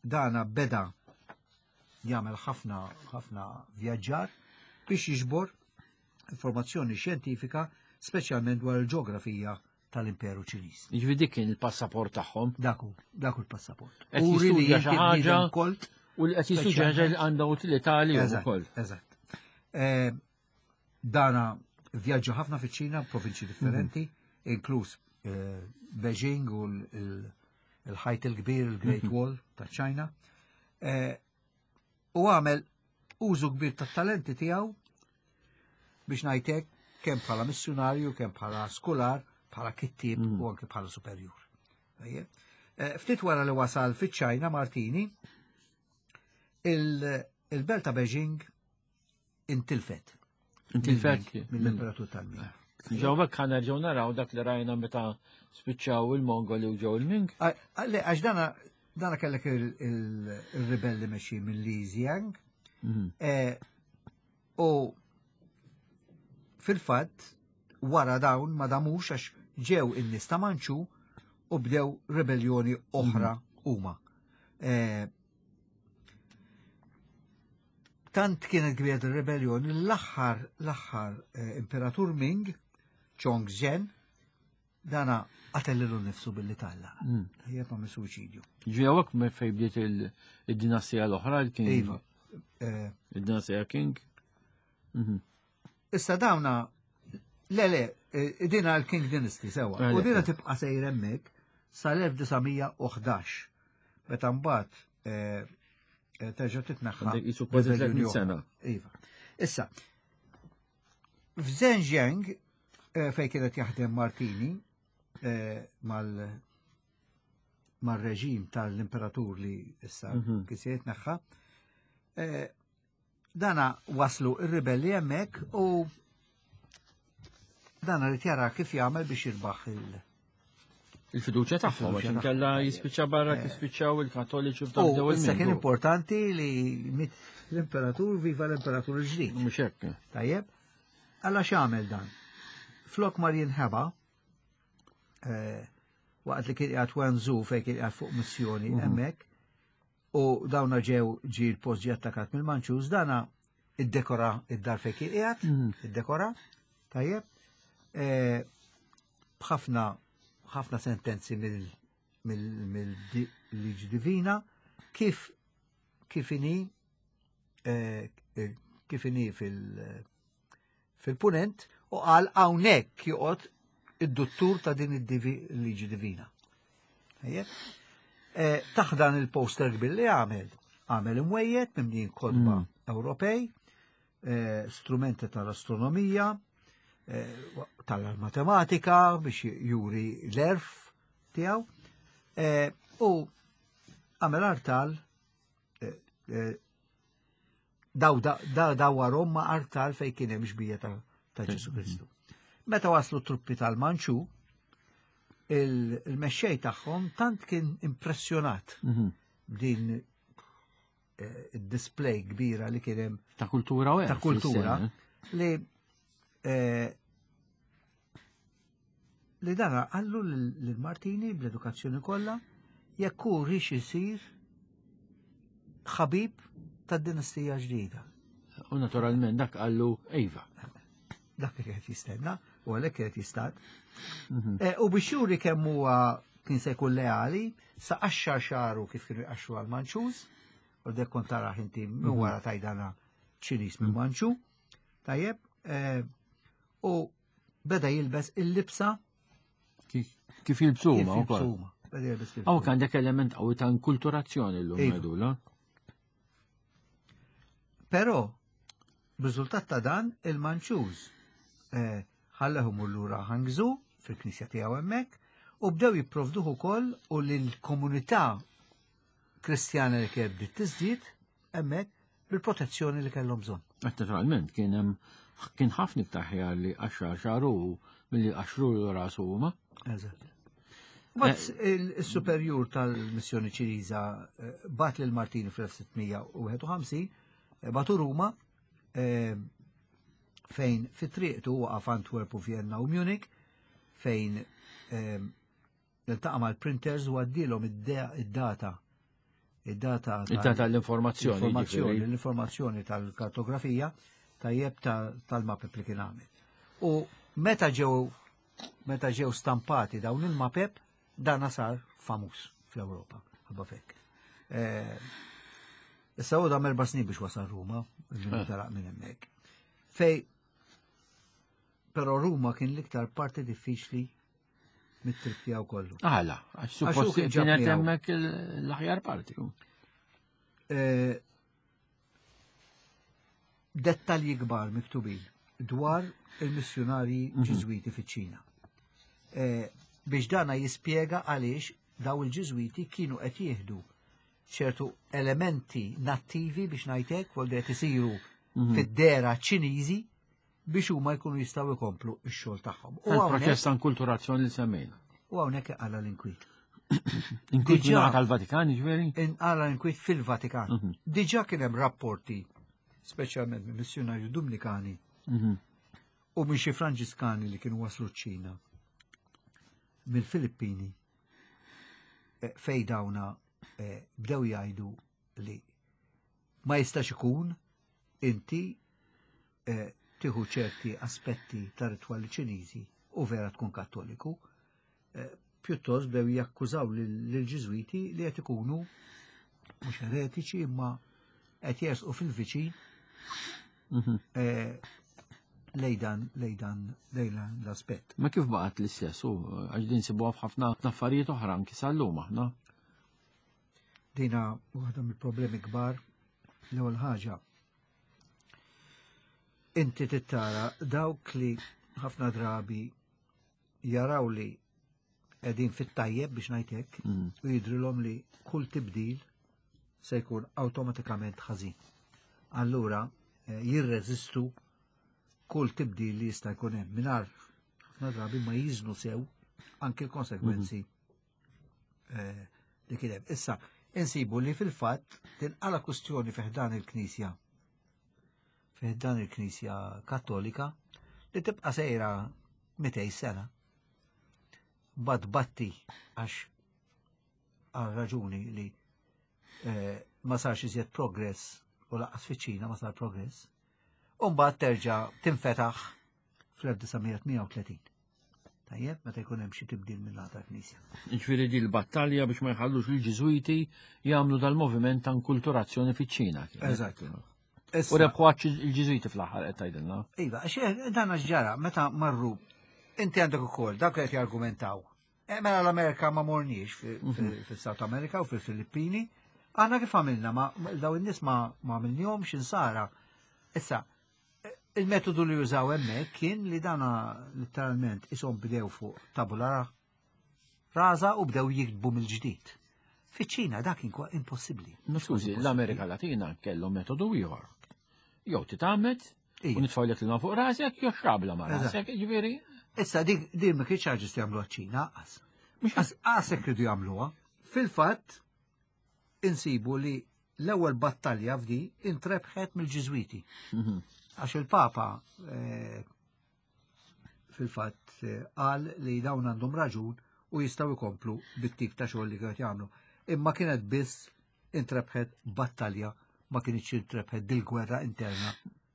dana beda jagħmel ħafna ħafna vjaġġar biex jiġbor informazzjoni xjentifika speċjalment dwar il-ġeografija tal-Imperu Ċiniż. Jiġifieri dik kien il-passaport tagħhom. Daku, daku l-passaport. Qed jistudja xi ħaġa kolt u li qed jistudja ħaġa li għandha utilità għalihom ukoll. Eżatt. Eh, dana vjaġġa ħafna fiċ-Ċina, provinċi differenti, mhm. inkluż eh, Beijing u l-ħajt il-kbir, il-Great mhm. Wall ta' Ċina. Eh, u għamel użu kbir tat-talenti tiegħu biex ngħidlek kemm bħala missjunarju, kemm bħala skular, bħala kittieb mm. u anke bħala superjur. Eh, ftit wara li wasal fiċ-Ċajna Martini, il-belt ta' Beijing intilfet. Intilfet? Mill-imperatur tal-Ming. Ġew hekk ħa nerġgħu naraw dak li rajna meta spiċċaw il-Mongoli u ġew il-Ming. Le, għax dana dana kellek il-ribelli mexxi minn Li Ziang. Mhm. Eh, u fil-fatt wara dawn ma damux għax ġew in-nies ta' Manċu u bdew ribellioni oħra mhm. huma. Eh, Tant kienet kbira ir-rebelljoni l-aħħar l-aħħar eh, imperatur Ming, Chongzhen, dana qatel lilu nnifsu billi talla. Mm. Ħajjeb għamel suwiċidju. Ġewek me fej bdiet il-dinastija l-oħra l-King. Iva. Eh, il-dinastija King. Mhm. Issa dawna, le le, eh, dina l-King Dynasty sewa. U dina tibqa' sejr hemmhekk sal-1911. Meta mbagħad Eh, terġa' titneħħa. Jisu kważi 300 sena. Iva. Issa, f'Zhenjiang eh, fejn kienet jaħdem Martini eh, mal mar-reġim tal-imperatur li issa mhm. kien se jitneħħa, Dana waslu ir-ribelli hemmhekk u dana li jara kif jagħmel biex jirbaħ il- Il-fiduċja tagħhom għax inkella jispiċċa barra kif spiċċaw il-Kattoliċi f'dak dew Issa kien importanti li mit l-imperatur viva l-imperatur il-ġdid. Mhux hekk. Tajjeb. Alla x'għamel dan? Flok mar jinħeba eh, waqt li kien qiegħed Wenzu fejn kien qiegħed fuq missjoni mhm. hemmhekk, U dawna ġew ġi l-post ġi attakat mill-Manċus, dana iddekora id-dar fejn kien qiegħed, mm. iddekora, tajjeb, e, b'ħafna ħafna sentenzi mill-liġi divina kif kif inhi e, e, kif inhi fil- fil-punent u qal hawnhekk joqgħod id-duttur ta' din il-liġi divina. Eh, taħdan il-poster kbir li għamel, għamel imwejjed mimlijin kodba mm. Ewropej, eh, strumenti tal-astronomija, eh, tal-matematika biex juri l-erf tiegħu u għamel artal Daw dawwarhom ma' artal fejn kien hemm xbija ta' Ġesu Kristu. Meta waslu truppi tal-Manċu, il-mexxej tagħhom tant kien impressjonat mhm. b'din eh, id-display kbira li kien hemm ta' kultura u ta' kultura eh. li eh, li dana għallu lil Martini bl-edukazzjoni kollha jekk hu rix isir ħabib tad-dinastija ġdida. U naturalment dak għallu Ejva. Dak li qed jistenna u għalhekk qed jistat. Mhm. Eh, u biex juri kemm huwa kien se jkun leali, sa qaxxar xaru kif kienu jqaxxu għal Manċuż, u dek kont taraħ inti minn mhm. wara tajdana Ċiniż minn mhm. Manċu. Tajjeb, eh, u beda jilbes il-libsa kif jilbsu huma wkoll. Hawn għandek element qawwi ta' inkulturazzjoni llum iva. ngħidula. Però b'riżultat ta' dan il-Manċuż eh, ħallehom lura Hangzhou fil-knisja tiegħu hemmhekk u bdew jipprovduh ukoll u lill-komunità Kristjana li kienet bdiet tiżdied hemmhekk bil-protezzjoni li kellhom bżonn. Naturalment kien hemm kien ħafna iktar ħjar li qaxxar xagħru milli qaxxru rasu huma. Eżatt. Bat il-superjur tal-missjoni Ċiniża eh, bat lil Martini fl-1651, eh, batu Ruma eh, fejn fit-triqtu waqaf Antwerp u Vienna u Munich fejn iltaqa' mal-printers u għaddilhom id-data id-data id-data l-informazzjoni l-informazzjoni tal-kartografija tajjeb tal-mapep li kien għamel. U meta ġew meta ġew stampati dawn il-mapep dana sar famuż fl-Ewropa ħabba fekk. Eh, issa u dam erba' snin biex wasal Ruma, eh. telaq minn hemmhekk. Fej però Ruma kien l-iktar parti diffiċli mit-trip tiegħu kollu. Għala, għax suppost kienet hemmhekk l-aħjar parti. Eh, dettalji kbar miktubin dwar il-missjonarji mhm. ġiżwiti fiċ-Ċina. Eh, biex dana jispjega għaliex daw il-ġiżwiti kienu qed jieħdu ċertu elementi nattivi biex ngħidlek, vol qed isiru mhm. fid-dera Ċiniżi biex huma jkunu jistgħu jkomplu x-xogħol tagħhom. U hawnhekk ta' inkulturazzjoni li semmejna. U hawnhekk qala l-inkwiet. Inkwiet mingħata tal-Vatikan, ġifieri? Inqala l-inkwiet fil-Vatikan. Mhm. Diġà kien hemm rapporti, speċjalment minn missjunarju Dumnikani mhm. u minn xi Franġiskani li kienu waslu ċ-Ċina mill-Filippini eh, fej dawna eh, bdew jgħidu li ma jistax ikun inti eh, tieħu ċerti aspetti ta' ritwali Ċiniżi u vera tkun Kattoliku, eh, pjuttost bdew jakkużaw lill-Ġiżwiti li qed ikunu mhux eretiċi imma qed jersqu fil-viċin mhm. eh, lejdan lejdan lejdan l-aspett. Ma kif baqgħet l-istess u għax din sibuha f'ħafna affarijiet oħra anki sal-lum aħna. Dina waħda mill-problemi kbar l-ewwel ħaġa Inti tittara dawk li ħafna drabi jaraw li qegħdin fit-tajjeb biex ngħid hekk mm. u jidrilhom li kull tibdil se jkun awtomatikament ħażin. Allura eh, jirreżistu kull tibdil li jista' jkun hemm mingħajr ħafna drabi ma jiżnu sew anke l-konsegwenzi mm. Eh, li kien hemm. Issa, insibu li fil-fatt tinqala kustjoni fiħdan il-Knisja fiħdan il-Knisja Kattolika li tibqa' sejra 200 sena. Bad batti għax għal raġuni li eh, ma sarx iżjed progress u laqas fiċ-Ċina ma sar progress. U mbagħad terġa' tinfetaħ fl-1938. Tajjeb, meta jkun hemm xi tibdil minn ta' knisja. Jiġifieri di l-battalja biex ma jħallux il-Ġiżwiti jagħmlu dal-moviment ta' inkulturazzjoni fiċ-Ċina. Eżatt. U rebħu il-Ġiżwiti fl-aħħar qed tgħidilna. Iva, għax dan għax ġara, meta marru inti għandek ukoll dak qed jargumentaw. E, mela l-Amerika ma morniex mhm. fis-South America u fil-Filippini, aħna kif għamilna ma daw in-nies ma għamilnihomx insara. Issa, Il-metodu li jużaw hemmhekk kien li dana letteralment ishom bdew fuq tabula rasa u bdew jiktbu mill-ġdid. Fiċ-Ċina dak kien impossibbli. Skużi, l-Amerika Latina kellhom metodu ieħor. Jew titgħammed u nitfgħu l fuq rasek jew xrabla ma' rasek, ġifieri. Issa dik din ma kienx ħaġa jagħmluha ċ-Ċina qas. Mhux qas hekk ridu jagħmluha. Fil-fatt insibu li l-ewwel battalja f'di intrebħet mill-Ġiżwiti. Mhm. Għax il-Papa eh, fil-fatt eh, qal li dawn għandhom raġun u jistgħu jkomplu bit-tip ta' xogħol li kienu jagħmlu. Imma kienet biss intrebħet battalja ma kienx intrebħet dil-gwerra interna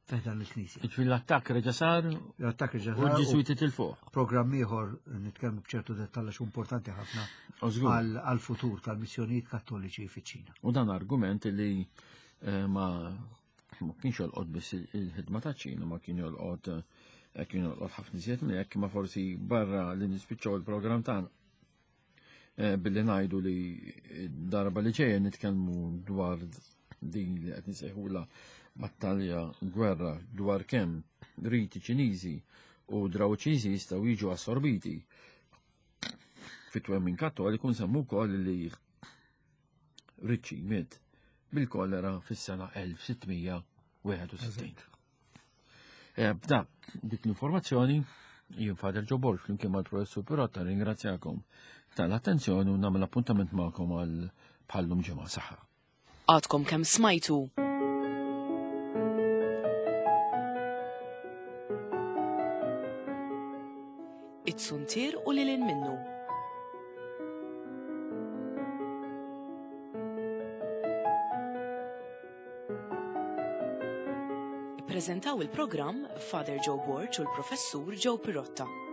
F'dan il-Knisja. Ġifieri l-attakk reġa' sar. L-attakk reġa' sar. U l-Ġiżwiti tilfuh. Programm ieħor nitkellmu b'ċertu dettall għax importanti ħafna għall-futur tal-missjonijiet Kattoliċi fiċ-Ċina. U dan argument li eh, ma ma kienx jolqot biss il-ħidma ta' ċina, ma kien jolqot eh, kien jolqot ħafna iżjed minn hekk, ma forsi barra li nispiċċaw il-programm tagħna. Eh, billi ngħidu li darba li ġejja nitkellmu dwar din li qed nisejħula battalja gwerra dwar kemm riti Ċiniżi u draw Ċiniżi jistgħu jiġu assorbiti fit-twemmin kattoliku nsemmu wkoll li Ricci miet. bil-kolera fis-sena 1661. Eh, b'dak dik l-informazzjoni jien Fader Joe Borg flimkien mal-Professur Pirotta ringrazzjakom tal-attenzjoni u nagħmel appuntament magħkom għal bħallum ġimgħa saħħa. Għadkom kemm smajtu It-suntier u lilin minnu. Ippreżentaw il-programm Father Joe Borg u l-Professur Joe Pirotta.